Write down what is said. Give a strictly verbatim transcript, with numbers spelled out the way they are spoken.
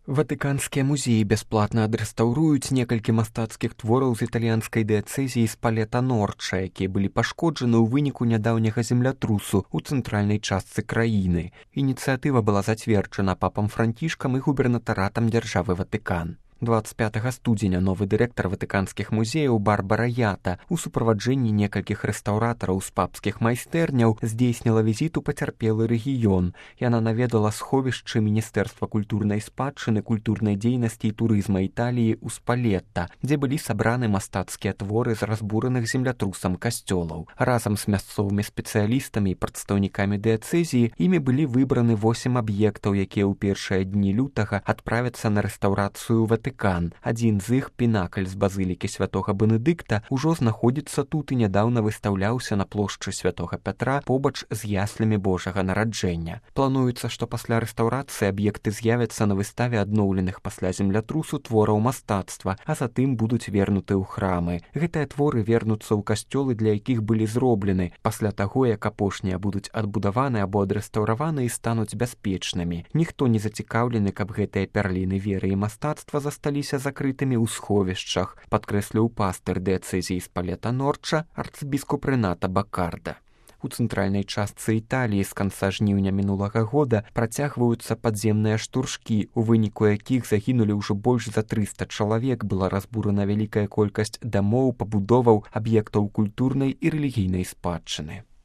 Ватыканскія музеі бясплатна адрэстаўруюць некалькі мастацкіх твораў з італьянскай дыяцэзіі Спалета-Норча, якія былі пашкоджаны ў выніку нядаўняга землятрусу ў цэнтральнай частцы краіны. Ініцыятыва была зацверджана папам Францішкам і губернатаратам дзяржавы Ватыкан. двадцать пятага студзеня новы дырэктар ватыканскіх музеяў Барбара Ята у суправаджэнні некалькіх рэстаўратараў з папскіх майстэрняў здзейсніла візіт у пацярпелы рэгіён. Яна наведала сховішчы Міністэрства культурнай спадчыны, культурнай дзейнасці і турызма Італіі ў Спалетта, дзе былі сабраны мастацкія творы з разбураных землятрусам касцёлаў. Разам з мясцовымі спецыялістамі і прадстаўнікамі дыяцэзіі імі былі выбраны восем аб'ектаў, якія ў першыя дні лютага адправяцца на рэстаўрацыю Ватыкана. Адзін з іх, пінакль з базылікі святога Бенедыкта, ужо знаходзіцца тут і нядаўна выстаўляўся на плошчы святога Пятра побач з яслямі Божага нараджэння. Плануецца, што пасля рэстаўрацыі аб'екты з'явяцца на выставе адноўленых пасля землятрусу твораў мастацтва, а затым будуць вернуты ў храмы. Гэтыя творы вернуцца ў касцёлы, для якіх былі зроблены, пасля таго, як апошнія будуць адбудаваны або адрэстаўраваны і стануць бяспечнымі. Ніхто не зацікаўлены, каб гэтыя пярліны веры і мастацтва засталіся закрытымі ў сховішчах, падкрэсліў пастыр дыяцэзіі Спалета-Норча арцыбіскуп Рэната Бакарда. У цэнтральнай частцы Італіі з канца жніўня мінулага года працягваюцца падземныя штуршкі, у выніку якіх загінулі ўжо больш за трыста чалавек, была разбурана вялікая колькасць дамоў, пабудоваў, аб'ектаў культурнай і рэлігійнай спадчыны.